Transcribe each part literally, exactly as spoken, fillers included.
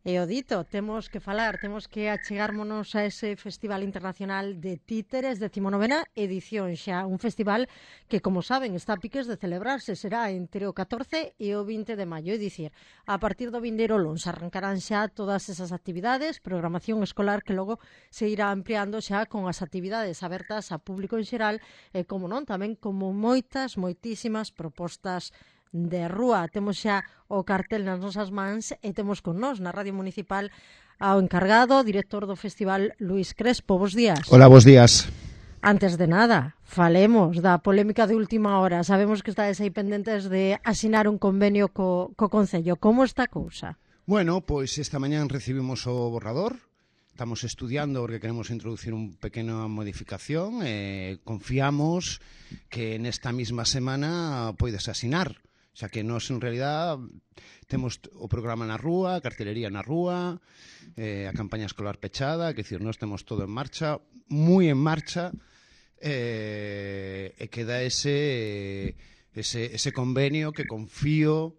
E o dito, temos que falar, temos que achegármonos a ese Festival Internacional de Títeres, decimonovena edición xa, un festival que, como saben, está a piques de celebrarse, será entre o catorce e o vinte de maio, é dicir, a partir do vindeiro luns arrancarán xa todas esas actividades, programación escolar que logo se irá ampliando xa con as actividades abertas a público en xeral e, como non, tamén como moitas, moitísimas propostas de rúa. Temos xa o cartel nas nosas mans e temos con nós na Radio Municipal ao encargado, director do festival, Luís Crespo. Bos días. Hola, bos días. Antes de nada, falemos da polémica de última hora. Sabemos que estáis aí pendentes de asinar un convenio co, co Concello. Como está a cousa? Bueno, pois esta mañán recibimos o borrador. Estamos estudiando porque queremos introducir un pequena modificación e confiamos que nesta mesma semana poides asinar. Xa que nós, en realidad, temos o programa na rúa, a cartelería na rúa, eh, a campaña escolar pechada, que decir, nós temos todo en marcha, moi en marcha, eh, e queda ese, ese, ese convenio que confío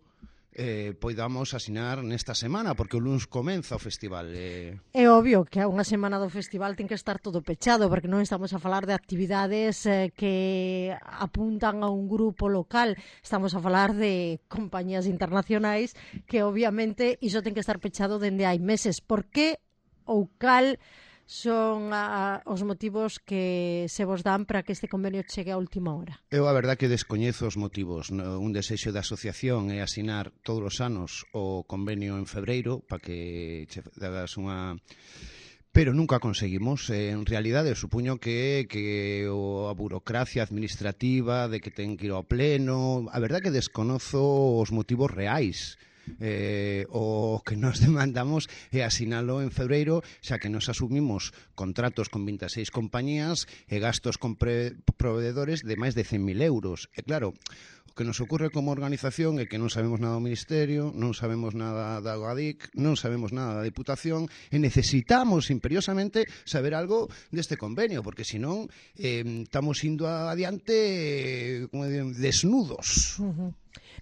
eh, poidamos asinar nesta semana, porque o luns comeza o festival. Eh... É obvio que a unha semana do festival ten que estar todo pechado, porque non estamos a falar de actividades eh, que apuntan a un grupo local, estamos a falar de compañías internacionais que obviamente iso ten que estar pechado dende hai meses. Por que ou cal son a, os motivos que se vos dan para que este convenio chegue a última hora? Eu a verdad que descoñezo os motivos. Un desexo da asociación é asinar todos os anos o convenio en febreiro para que che dagas unha... Pero nunca conseguimos. En realidade, supoño que, que o, a burocracia administrativa de que ten que ir ao pleno... A verdad que desconozo os motivos reais. Eh, o que nos demandamos é asinalo en febreiro, xa que nos asumimos contratos con vinte e seis compañías e gastos con pre, proveedores de máis de cen mil euros. E claro, o que nos ocorre como organización é que non sabemos nada do Ministerio, non sabemos nada da Gadic, non sabemos nada da Diputación e necesitamos imperiosamente saber algo deste convenio, porque senón eh, estamos indo adiante eh, desnudos. Uh-huh.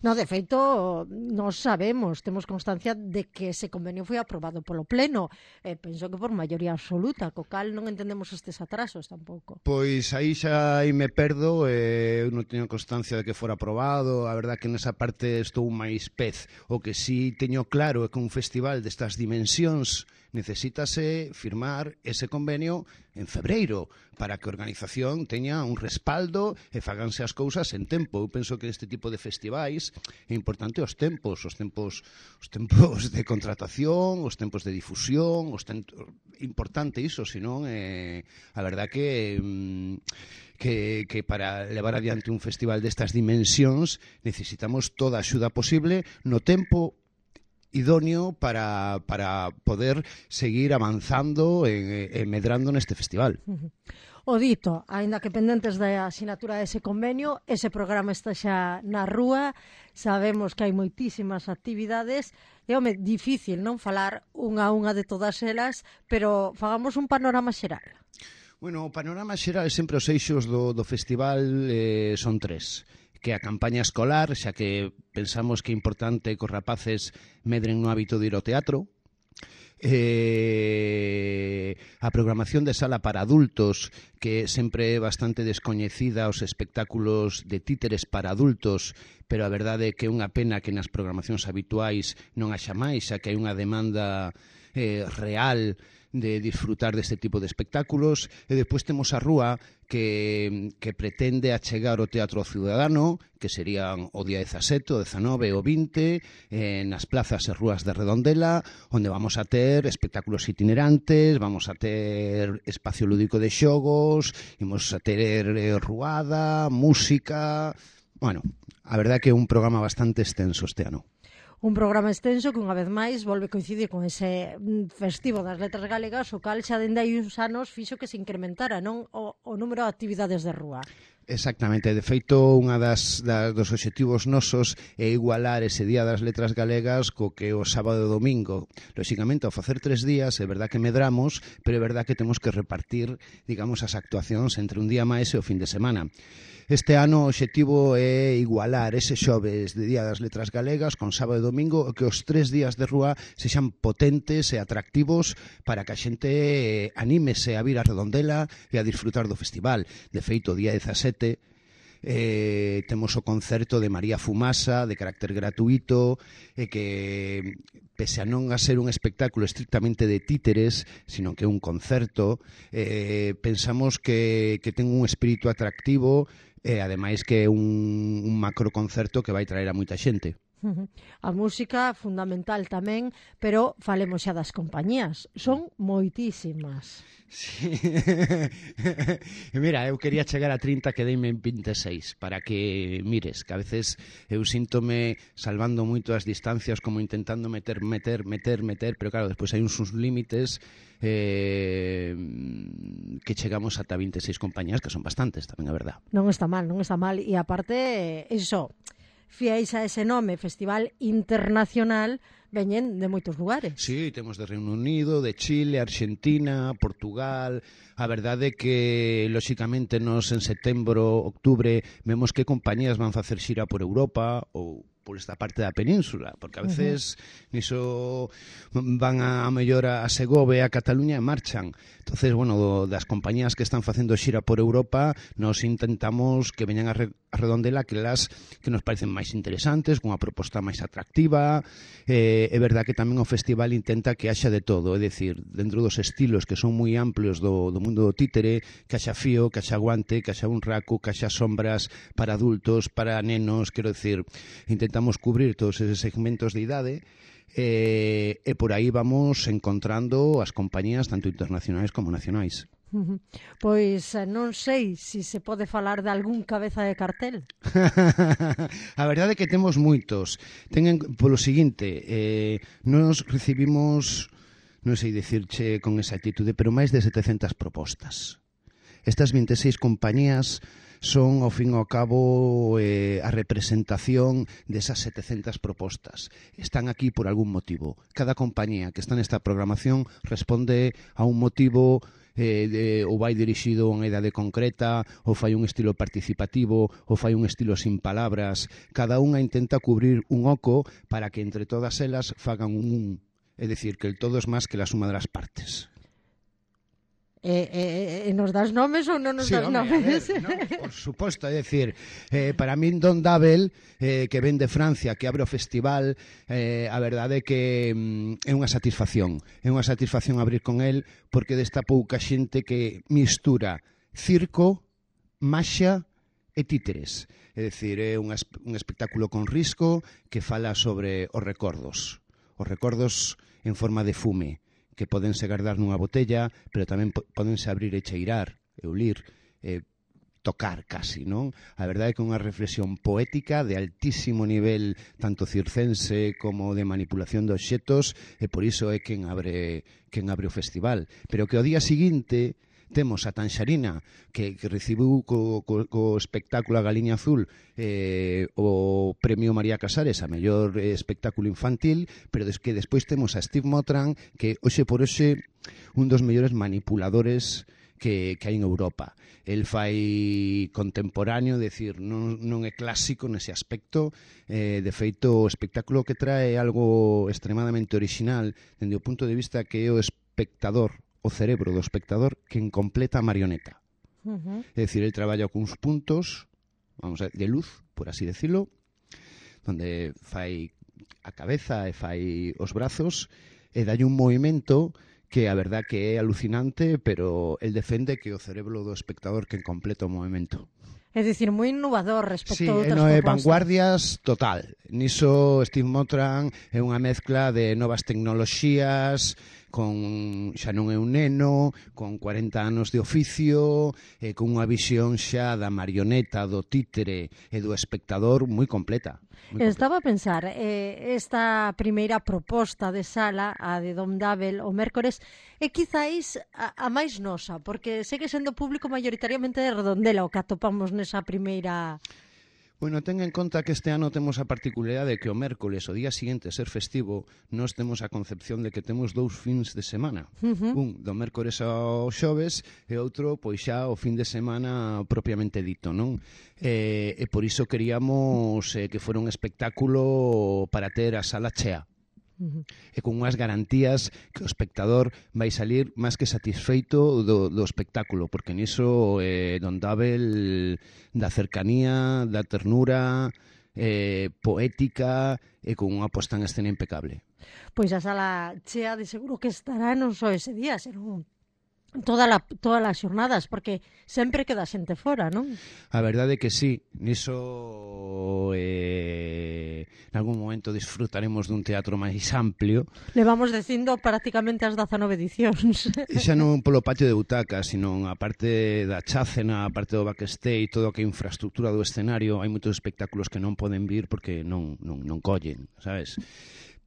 No, de feito, nós sabemos, temos constancia de que ese convenio foi aprobado polo Pleno. Eh, penso que por maioría absoluta, co cal non entendemos estes atrasos tampouco. Pois aí xa aí me perdo, eh, eu non teño constancia de que fora aprobado. A verdad que nesa parte estou máis pez. O que sí teño claro é que un festival destas dimensións necesítase firmar ese convenio en febreiro para que a organización teña un respaldo e faganse as cousas en tempo. Eu penso que este tipo de festivais é importante os tempos, os tempos, os tempos de contratación, os tempos de difusión, os tempos... importante iso, senón eh, a verdad que que, que para levar adiante un festival destas dimensións necesitamos toda a axuda posible no tempo idóneo para, para poder seguir avanzando e, e medrando neste festival. Uh-huh. O dito, aínda que pendentes da asinatura dese convenio, ese programa está xa na rúa, sabemos que hai moitísimas actividades, é home, difícil non falar unha a unha de todas elas, pero fagamos un panorama xeral. Bueno, o panorama xeral, sempre os eixos do, do festival eh, son tres. Que a campaña escolar, xa que pensamos que é importante que os rapaces medren no hábito de ir ao teatro, eh, a programación de sala para adultos, que sempre é bastante descoñecida, os espectáculos de títeres para adultos, pero a verdade é que é unha pena que nas programacións habituais non haxa máis, xa que hai unha demanda eh, real de disfrutar deste tipo de espectáculos. E despois temos a rúa que, que pretende achegar o teatro ciudadano, que serían o día dezasete, o dezanove e o vinte, eh, nas plazas e rúas de Redondela, onde vamos a ter espectáculos itinerantes, vamos a ter espacio lúdico de xogos, vamos a ter eh, ruada, música... Bueno, a verdade é que é un programa bastante extenso este ano. Un programa extenso que unha vez máis volve coincidir con ese festivo das letras galegas, o cal xa dende hai uns anos fixo que se incrementara non o, o número de actividades de rúa. Exactamente, de feito, unha das, das dos obxectivos nosos é igualar ese Día das Letras Galegas co que o sábado e domingo. Lóxicamente, ao facer tres días, é verdad que medramos, pero é verdad que temos que repartir, digamos, as actuacións entre un día máis e o fin de semana. Este ano o obxectivo é igualar ese xoves de Día das Letras Galegas con sábado e domingo, que os tres días de rúa sexan potentes e atractivos para que a xente anímese a vir a Redondela e a disfrutar do festival. De feito, o día dezasete Eh, temos o concerto de María Fumasa de carácter gratuito e eh, que pese a non a ser un espectáculo estrictamente de títeres, sino que é un concerto, eh, pensamos que, que ten un espírito atractivo e eh, ademais que é un, un macro concerto que vai traer a moita xente. A música fundamental tamén, pero falemos xa das compañías. Son moitísimas. Sí. Mira, eu quería chegar a trinta, quedeime en vinte e seis, para que mires, que a veces eu síntome salvando moito as distancias, como intentando meter, meter, meter, meter, pero claro, despois hai uns límites eh, que chegamos ata vinte e seis compañías, que son bastantes, tamén a verdad. Non está mal, non está mal, e aparte, iso, fiéis a ese nome, Festival Internacional, veñen de moitos lugares. Sí, temos de Reino Unido, de Chile, Argentina, Portugal. A verdade é que, lóxicamente, nos en setembro, octubre, vemos que compañías van facer xira por Europa ou por esta parte da península, porque a veces uh-huh. niso van a, a mellor a Segovia, a Cataluña e marchan. Entonces, bueno, das compañías que están facendo xira por Europa, nos intentamos que veñan a, re, a Redondela que las que nos parecen máis interesantes, con unha proposta máis atractiva. Eh, é verdad que tamén o festival intenta que haxa de todo, é dicir, dentro dos estilos que son moi amplios do, do mundo do títere, que haxa fío, que haxa guante, que haxa un raco, que haxa sombras para adultos, para nenos, quero dicir, intentamos cubrir todos eses segmentos de idade eh, e por aí vamos encontrando as compañías tanto internacionais como nacionais. Uh-huh. Pois non sei se se pode falar de algún cabeza de cartel. A verdade é que temos moitos. Ten polo seguinte, eh, nos recibimos, non sei dicirche con exactitude, pero máis de setecentas propostas. Estas vinte e seis compañías son, ao fin e ao cabo, eh, a representación desas setecentas propostas. Están aquí por algún motivo. Cada compañía que está nesta programación responde a un motivo, eh, de, ou vai dirixido a unha idade concreta, ou fai un estilo participativo, ou fai un estilo sin palabras. Cada unha intenta cubrir un oco para que entre todas elas fagan un un. É dicir, que el todo es más que la suma de las partes. Eh, eh, eh, nos das nomes ou non nos sí, das home, nomes? Ver, no, por suposto, é dicir, eh, para min Don Dabel, eh, que ven de Francia, que abre o festival, eh, a verdade é que mm, é unha satisfacción, é unha satisfacción abrir con el, porque desta pouca xente que mistura circo, maxia e títeres. É dicir, é un, un espectáculo con risco que fala sobre os recordos, os recordos en forma de fume, que podense guardar nunha botella, pero tamén podense abrir e cheirar, e olir, e tocar casi, non? A verdade é que é unha reflexión poética de altísimo nivel, tanto circense como de manipulación de obxetos, e por iso é quen abre, quen abre o festival. Pero que ao día seguinte temos a Tanxarina, que, que recibiu co, co, co espectáculo A Galiña Azul eh, o premio María Casares a mellor eh, espectáculo infantil, pero des que despois temos a Steve Motran, que hoxe por hoxe un dos mellores manipuladores que, que hai en Europa. El fai contemporáneo, decir, non, non é clásico nese aspecto. Eh, de feito, o espectáculo que trae algo extremadamente original dende o punto de vista que é o espectador, o cerebro do espectador quen completa a marioneta. Uh-huh. É dicir, el traballa cuns puntos, vamos a ver, de luz, por así decirlo, donde fai a cabeza e fai os brazos e dalle un movimento que a verdad que é alucinante, pero el defende que o cerebro do espectador quen completa o movimento. É dicir, moi innovador respecto sí, a outras no, propostas. Sí, vanguardias total. Niso Steve Motran é unha mezcla de novas tecnoloxías con xa non é un neno, con cuarenta anos de oficio, e con unha visión xa da marioneta, do títere e do espectador moi completa. Muy Estaba a pensar, eh, esta primeira proposta de sala, a de Dom Dabel, o mércores, é quizáis a, a máis nosa, porque segue sendo público maioritariamente de Redondela o que atopamos nesa primeira... Bueno, ten en conta que este ano temos a particularidade de que o mércoles, o día seguinte, ser festivo, nós temos a concepción de que temos dous fins de semana. Uh -huh. Un do mércoles ao xoves e outro, pois xa, o fin de semana propiamente dito, non? E, e por iso queríamos eh, que fora un espectáculo para ter a sala chea. Uh -huh. E con unhas garantías que o espectador vai salir máis que satisfeito do, do espectáculo, porque niso eh, Don Dabel da cercanía, da ternura, eh, poética e con unha posta en escena impecable. Pois a sala chea de seguro que estará non só ese día, senón toda la, todas as xornadas, porque sempre queda xente fora, non? A verdade é que sí, niso eh, en algún momento disfrutaremos dun teatro máis amplio. Levamos dicindo prácticamente as dezanove edicións. E xa non polo patio de butacas, sino a parte da chácena, a parte do backstage, todo o que é infraestructura do escenario, hai moitos espectáculos que non poden vir porque non, non, non collen, sabes?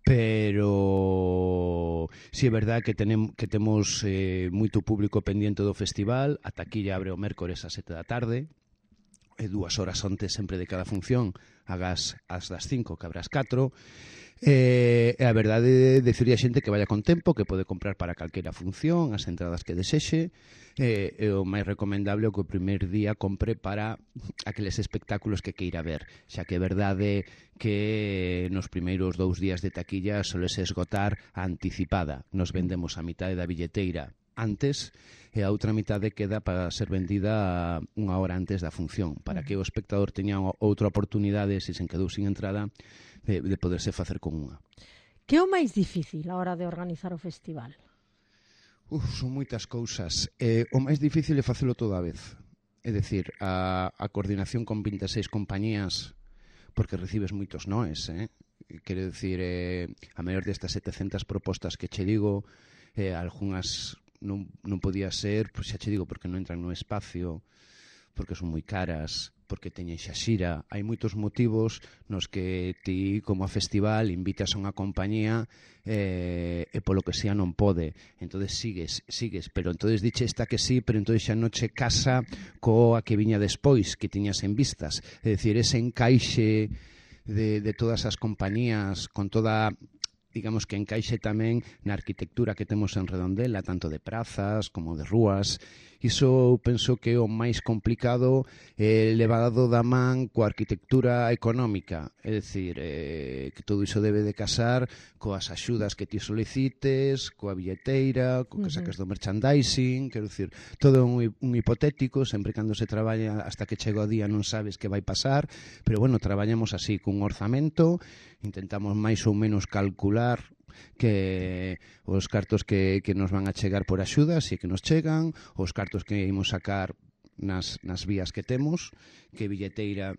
Pero si sí, é verdad que, tenem, que temos eh, moito público pendiente do festival. A taquilla abre o mércores a sete da tarde e dúas horas antes sempre de cada función, agas as das cinco, que abre as catro. E a verdade, deciría a xente que vaya con tempo, que pode comprar para calquera función as entradas que desexe. E, e o máis recomendable é que o primer día compre para aqueles espectáculos que queira ver, xa que é verdade que nos primeiros dous días de taquilla solese esgotar a anticipada. Nos vendemos a mitade da billeteira antes e a outra mitade queda para ser vendida unha hora antes da función, para que o espectador teña outra oportunidade, se se quedou sin entrada, de, de poderse facer con unha. Que é o máis difícil a hora de organizar o festival? Uf, son moitas cousas. Eh, o máis difícil é facelo toda a vez. É dicir, a, a coordinación con vinte e seis compañías, porque recibes moitos noes, eh? Quero dicir, eh, a maior destas setecentas propostas que che digo, eh, algunhas non, non podía ser, pois xa che digo, porque non entran no espacio, porque son moi caras, porque teñen xa xira. Hai moitos motivos nos que ti, como a festival, invitas a unha compañía eh, e polo que sea non pode. Entonces sigues, sigues, pero entonces diche esta que sí, pero entonces xa non che casa coa que viña despois, que tiñas en vistas. É dicir, ese encaixe de, de todas as compañías, con toda... digamos que encaixe tamén na arquitectura que temos en Redondela, tanto de prazas como de rúas. Iso penso que é o máis complicado, eh, levado da man coa arquitectura económica. É dicir, eh, que todo iso debe de casar coas axudas que ti solicites, coa billeteira, co que saques do merchandising, quero dicir, todo un, un hipotético, sempre cando se traballa hasta que chega o día non sabes que vai pasar, pero bueno, traballamos así, cun orzamento, intentamos máis ou menos calcular que os cartos que, que nos van a chegar por axudas e que nos chegan, os cartos que imos sacar nas, nas vías que temos, que billeteira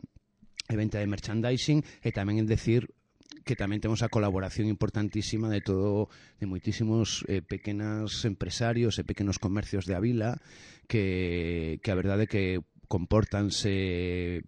e venta de merchandising, e tamén en decir que tamén temos a colaboración importantísima de todo, de moitísimos eh, pequenos empresarios e pequenos comercios de a vila que, que a verdade que comportanse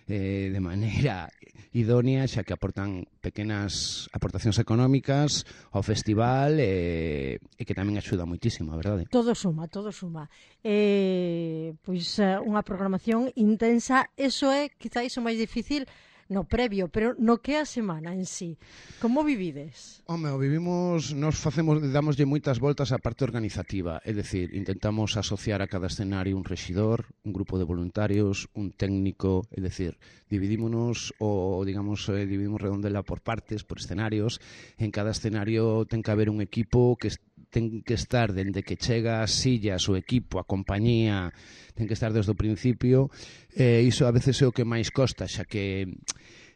eh, de maneira idónea, xa que aportan pequenas aportacións económicas ao festival e, e que tamén axuda moitísimo, a verdade. Todo suma, todo suma. Eh, pois unha programación intensa, eso é quizáis o máis difícil no previo, pero no que a semana en sí. Como vivides? Home, o vivimos, nos facemos, damoslle moitas voltas á parte organizativa, é dicir, intentamos asociar a cada escenario un rexidor, un grupo de voluntarios, un técnico, é dicir, dividímonos o, digamos, eh, dividimos Redondela por partes, por escenarios. En cada escenario ten que haber un equipo que ten que estar dende que chega as sillas, o equipo, a compañía, ten que estar desde o principio. Eh, iso a veces é o que máis costa, xa que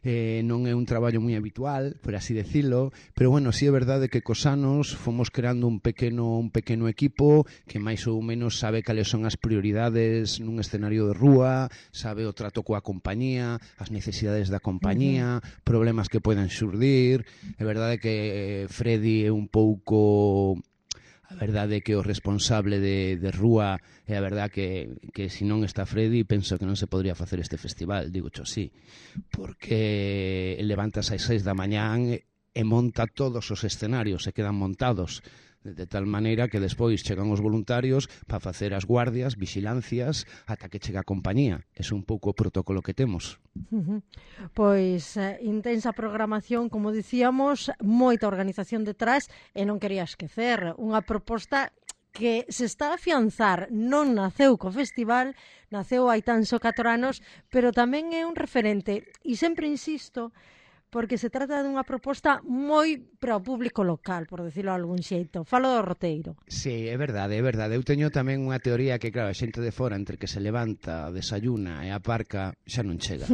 eh, non é un traballo moi habitual, por así decirlo, pero bueno, sí é verdade que cos anos fomos creando un pequeno un pequeno equipo que máis ou menos sabe cales son as prioridades nun escenario de rúa, sabe o trato coa compañía, as necesidades da compañía, uh-huh. problemas que poden xurdir. É verdade que Freddy é un pouco A verdade é que o responsable de, de rúa é a verdade que, que se non está Freddy penso que non se podría facer este festival, digo xo sí, porque levantas ás seis da mañán e monta todos os escenarios, se quedan montados de tal maneira que despois chegan os voluntarios para facer as guardias, vigilancias, ata que chega a compañía. É un pouco o protocolo que temos. Uh-huh. Pois eh, intensa programación, como dicíamos, moita organización detrás, e non quería esquecer unha proposta que se está a afianzar, non naceu co festival, naceu hai tan só catro anos, pero tamén é un referente, e sempre insisto, porque se trata dunha proposta moi para o público local, por decirlo de algún xeito. Falo do roteiro. Sí, é verdade, é verdade. Eu teño tamén unha teoría que, claro, a xente de fora, entre que se levanta, desayuna e aparca, xa non chega.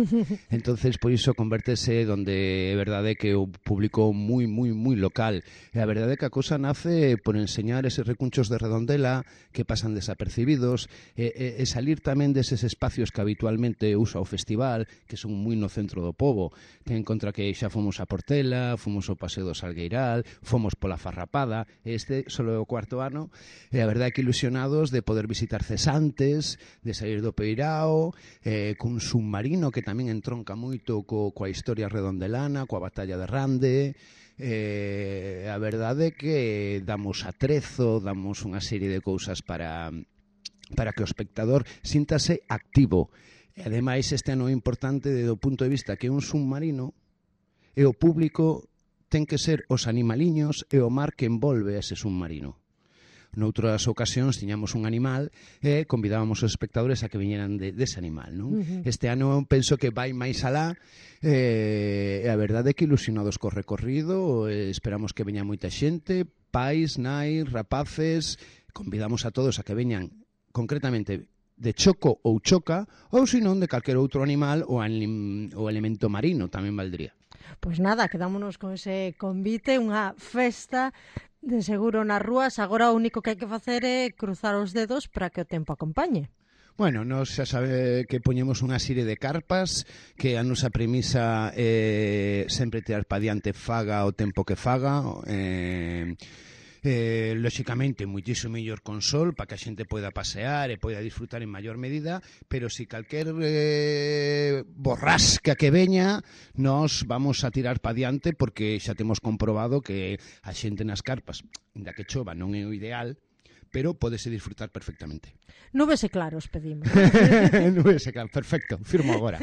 Entonces, por iso, convértese donde é verdade que o público moi, moi, moi local. E a verdade é que a cousa nace por enseñar eses recunchos de Redondela que pasan desapercibidos e, e, e salir tamén deses espacios que habitualmente usa o festival, que son moi no centro do pobo. Ten en contra que xa fomos a Portela, fomos ao Paseo do Salgueiral, fomos pola Farrapada, este só é o cuarto ano, e a verdade é que ilusionados de poder visitar Cesantes, de sair do Peirao, eh, cun submarino que tamén entronca moito co, coa historia redondelana, coa batalla de Rande. Eh, a verdade é que damos atrezo, damos unha serie de cousas para, para que o espectador síntase activo. E ademais este ano é importante desde o punto de vista que é un submarino e o público ten que ser os animaliños e o mar que envolve ese submarino. Noutras ocasións tiñamos un animal e convidábamos os espectadores a que viñeran de, dese animal, non? Uh-huh. Este ano penso que vai máis alá e a verdade é que ilusionados co recorrido, esperamos que veña moita xente, pais, nais, rapaces, convidamos a todos a que veñan concretamente de choco ou choca, ou senón de calquer outro animal ou, anim, ou elemento marino, tamén valdría. Pois nada, quedámonos con ese convite, unha festa de seguro nas rúas. Agora o único que hai que facer é cruzar os dedos para que o tempo acompañe. Bueno, nos xa sabe que poñemos unha serie de carpas que a nosa premisa é sempre tirar pa diante faga o tempo que faga, eh... Eh, lóxicamente moitísimo mellor con sol para que a xente poida pasear e poida disfrutar en maior medida, pero si calquer eh, borrasca que veña nos vamos a tirar pa diante porque xa temos comprobado que a xente nas carpas, ainda que chova non é o ideal, pero pódese disfrutar perfectamente. Nubes e claros pedimos. Nubes e claros, perfecto, firmo agora.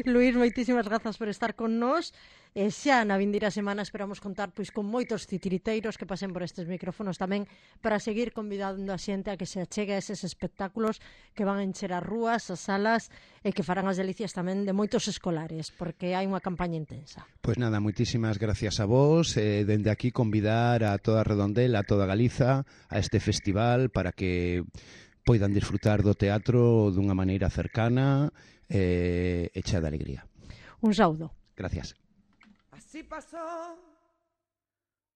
Luís, moitísimas grazas por estar con nós. E xa na vindeira semana esperamos contar pois con moitos titiriteiros que pasen por estes micrófonos tamén para seguir convidando a xente a que se achegue a eses espectáculos que van a encher as rúas, as salas e que farán as delicias tamén de moitos escolares, porque hai unha campaña intensa. Pois nada, moitísimas gracias a vos, eh, dende aquí convidar a toda Redondela, a toda Galiza a este festival para que poidan disfrutar do teatro dunha maneira cercana eh, e chea de alegría. Un saúdo. Gracias. Así pasó